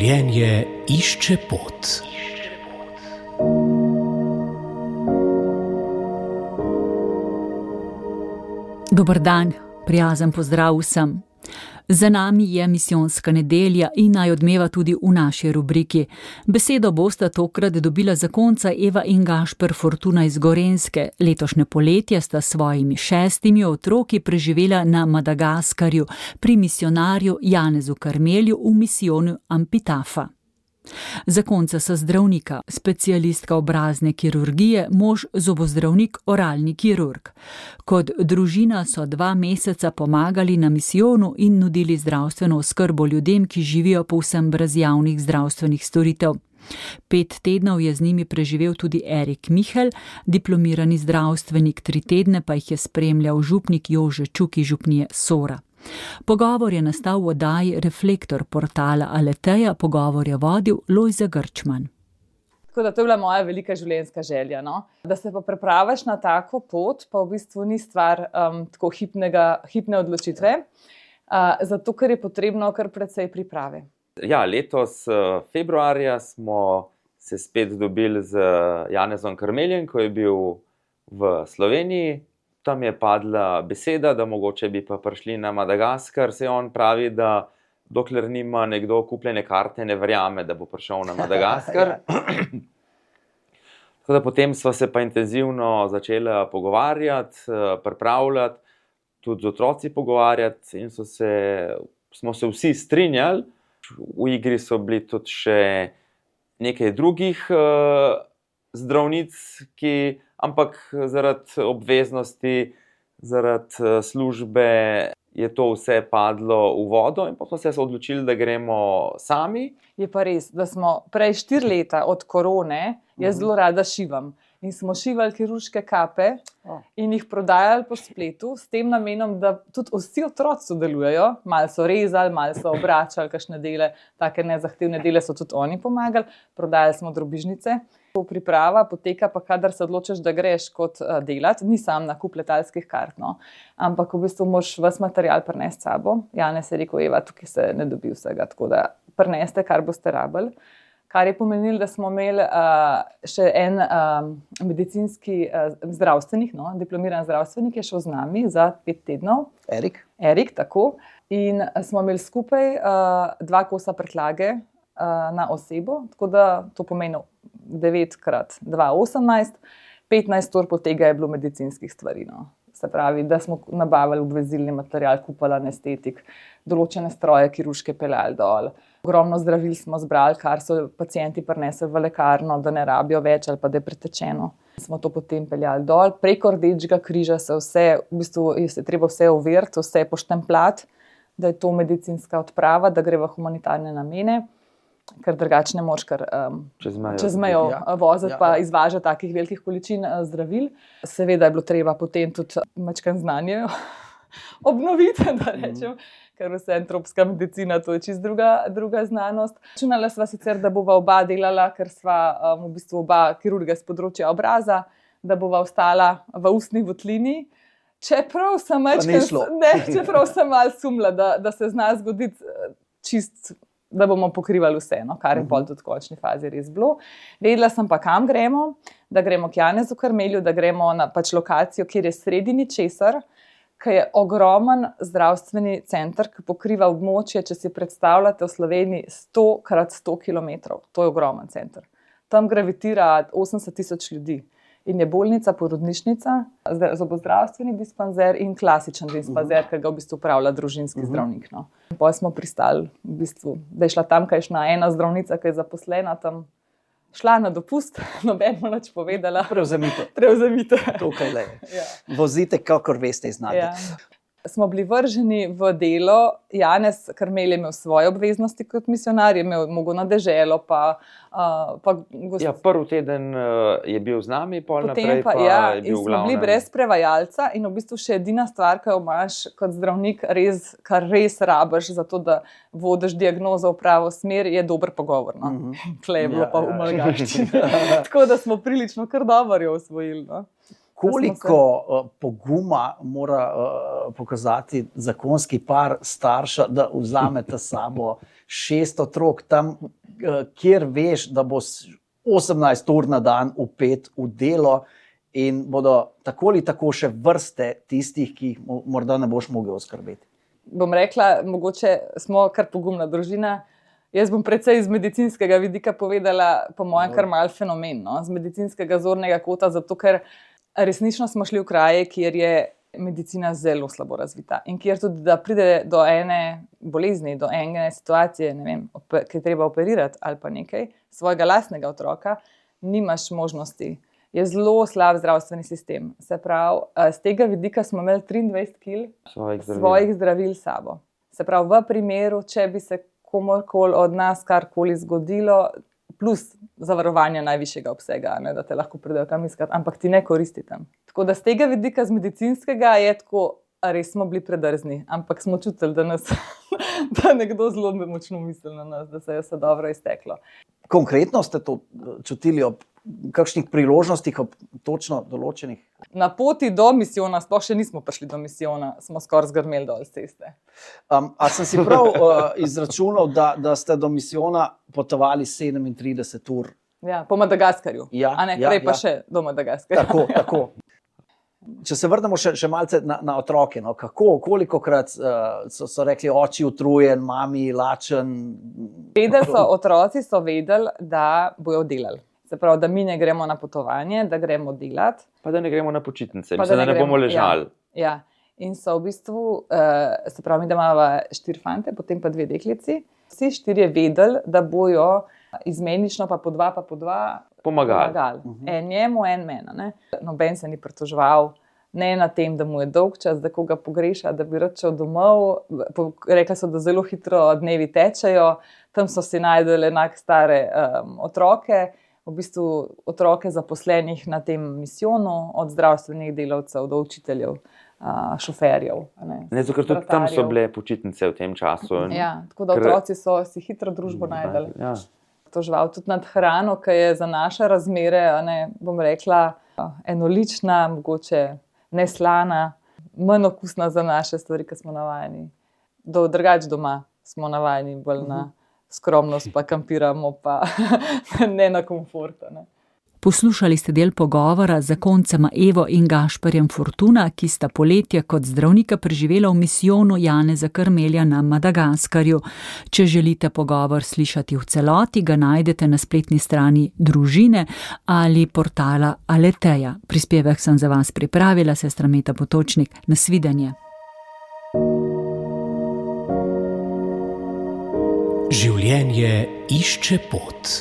Življenje išče pot. Dober dan, prijazen pozdrav vsem. Za nami je misijonska nedelja in naj odmeva tudi v naši rubriki. Besedo bosta tokrat dobila zakonca Eva in Gašper Fortuna iz Gorenjske. Letošnje poletje sta s svojimi 6 otroki preživela na Madagaskarju pri misijonarju Janezu Karmelju v misijonu Ampitafa. Zakonca sta zdravnika, specialistka obrazne kirurgije, mož zobozdravnik, oralni kirurg. Kot družina so 2 meseca pomagali na misijonu in nudili zdravstveno oskrbo ljudem, ki živijo povsem brez javnih zdravstvenih storitev. 5 tednov je z njimi preživel tudi Erik Mihelj, diplomirani zdravstvenik, 3 tedne pa jih je spremljal župnik Jože Čuk iz župnije Sora. Pogovor je nastal v oddaji Reflektor portala Aleteja, pogovor je vodil Lojze Grčman. Tako da to je bila moja velika življenjska želja, no? Da se pa prepraviš na tako pot, pa v bistvu ni stvar tako hipne odločitve, zato ker je potrebno kar precej priprave. Ja, letos februarja smo se spet dobili z Janezom Karmeljem, ko je bil v Sloveniji. Tam je padla beseda, da mogoče bi pa prišli na Madagaskar. Se on pravi, da dokler nima nekdo kupljene karte, ne verjame, da bo prišel na Madagaskar. Tako da potem sva se pa intenzivno začela pogovarjati, pripravljati, tudi z otroci pogovarjati in smo se vsi strinjali. V igri so bili tudi še nekaj drugih zdravnic, ampak zaradi obveznosti, zaradi službe je to vse padlo v vodo in potem smo se odločili, da gremo sami. Je pa res, da smo prej 4 leta od korone, jaz zelo rada šivam. In smo šivali kirurške kape in jih prodajali po spletu s tem namenom, da tudi vsi otroci sodelujejo. Malo so rezali, malo so obračali, kakšne dele, take nezahtevne dele so tudi oni pomagali. Prodajali smo drobižnice. Priprava poteka pa, kadar se odločiš, da greš kot delati, ni sam nakup letalskih kart, no. Ampak v bistvu moraš ves material prinesti s sabo. Janez je rekel, Eva, tukaj se ne dobi vsega, tako da prineste, kar boste rabili. Kar je pomenilo, da smo imeli še en medicinski zdravstvenik, diplomiran zdravstvenik je šel z nami za 5 tednov. Erik, tako. In smo imeli skupaj 2 kosa prtljage na osebo, tako da to pomeni 9x2, 18, 15 ur po tega je bilo medicinskih stvari, no. Se pravi, da smo nabavili obvezilni material, kupili anestetik, določene stroje kirurške peljali dol. Ogromno zdravil smo zbrali, kar so pacienti prinesli v lekarno, da ne rabijo več ali pa da je pretečeno. Smo to potem peljali dol. Preko Rdečega križa se vse, v bistvu je treba vse overiti, vse poštempljati, da je to medicinska odprava, da gre v humanitarne namene, ker drugače ne moraš kar čez mejo voziti pa izvažati takih velikih količin zdravil. Seveda je bilo treba potem tudi majčkeno znanje obnoviti, da rečem, ker vse tropska medicina, to je čisto druga znanost. Računala sva sicer, da bova oba delala, ker sva v bistvu oba kirurga s področja obraza, da bova ostala v ustni votlini. Čeprav sem malo sumila, da se zna zgoditi čist, da bomo pokrivali vse, no, kar je pol tudi v končni fazi res bilo. Vedela sem pa, kam gremo, da gremo k Janezu Karmelju, da gremo na lokacijo, kjer je sredi ničesar, ki je ogromen zdravstveni center, ki pokriva območje, če si predstavljate v Sloveniji 100x100 kilometrov. To je ogromen center. Tam gravitira 80,000 ljudi. In je bolnica, porodnišnica, zobozdravstveni dispanzer in klasičen dispanzer, ki ga v bistvu upravlja družinski zdravnik. No. Potem smo pristali, v bistvu, da je šla tamkajšnja ena zdravnica, ki je zaposlena tam, šla na dopust, nobeno nič povedala. Prevzemite. Tukaj le. Vozite, kakor veste, znate. Ja. Smo bili vrženi v delo. Janez Karmelj je imel svoje obveznosti kot misijonar, je imel mogo na deželo, prvi teden je bil z nami, pol naprej pa je bil in smo bili brez prevajalca in v bistvu še edina stvar, ki jo imaš kot zdravnik, kar res rabiš za to, da vodiš diagnozo v pravo smer, je dober pogovor. No? Tle je bilo pa v malgaščini. Tako da smo prilično kar dobro jo osvojili. No? Koliko poguma mora pokazati zakonski par starša, da vzamete s sabo 6 otrok tam kjer veš, da bo 18 ur na dan vpet v delo in bodo tako ali tako še vrste tistih, ki jih morda ne boš mogel oskrbeti. Bom rekla, mogoče smo kar pogumna družina. Jaz bom predvsej iz medicinskega vidika povedala, po mojem, kar mal fenomen, no? Z medicinskega zornega kota, zato ker resnično smo šli v kraje, kjer je medicina zelo slabo razvita in kjer tudi, da pride do ene bolezni, do ene situacije, ne vem, ki je treba operirati ali pa nekaj, svojega lastnega otroka, nimaš možnosti. Je zelo slab zdravstveni sistem. Se pravi, z tega vidika smo imeli 23 kil svojih zdravil s sabo. Se pravi, v primeru, če bi se komorkoli od nas karkoli zgodilo, plus zavarovanja najvišjega obsega, ne, da te lahko pridejo kam iskati, ampak ti ne koristi tam. Tako da z tega vidika, z medicinskega, je tako, res smo bili predrzni, ampak smo čutili, da nekdo zelo močno misli na nas, da se je vse dobro izteklo. Konkretno ste to čutili ob kakšnih priložnostih, ob točno določenih? Na poti do misijona, sploh še nismo prišli do misijona, smo skoraj zgrmeli dol z ceste. A sem si prav izračunal, da ste do misijona potovali 37 ur? Ja, po Madagaskarju. Ja, a ne, prej pa še do Madagaskarja. Tako. Če se vrnemo še malce na otroke, no, kolikokrat so rekli oči utrujen, mami lačen? Otroci so vedeli, da bojo delali. Se pravi, da mi ne gremo na potovanje, da gremo delati. Pa da ne gremo na počitnice, da ne bomo ležali. Ja. In so v bistvu, se pravi, mi da imamo 4 fante, potem pa 2 deklici. Vsi 4 vedeli, da bojo izmenično pa po 2 pomagali. En njemu, en meni. Noben se ni pritoževal, ne na tem, da mu je dolg čas, da koga pogreša, da bi rad šel domov. Rekla so, da zelo hitro dnevi tečejo, tam so si najdeli enak stare otroke, v bistvu otroke zaposlenih na tem misijonu, od zdravstvenih delavcev do učiteljev, šoferjev. Zato, ker tudi tam so bile počitnice v tem času. Ja, tako da otroci so si hitro družbo najdeli. Ja. Toževal tudi nad hrano, ki je za naše razmere, bom rekla, enolična, mogoče neslana, manj okusna za naše stvari, ki smo navajeni. Drugače doma smo navajeni bolj na skromnost, pa kampiramo, pa ne na komfort. Poslušali ste del pogovora z zakoncema Evo in Gašperjem Fortuna, ki sta poletje kot zdravnika preživela v misijonu Janeza Karmelja na Madagaskarju. Če želite pogovor slišati v celoti, ga najdete na spletni strani Družine ali portala Aleteja. Prispevek sem za vas pripravila, sestra Meta Potočnik. Nasvidenje. Življenje išče pot.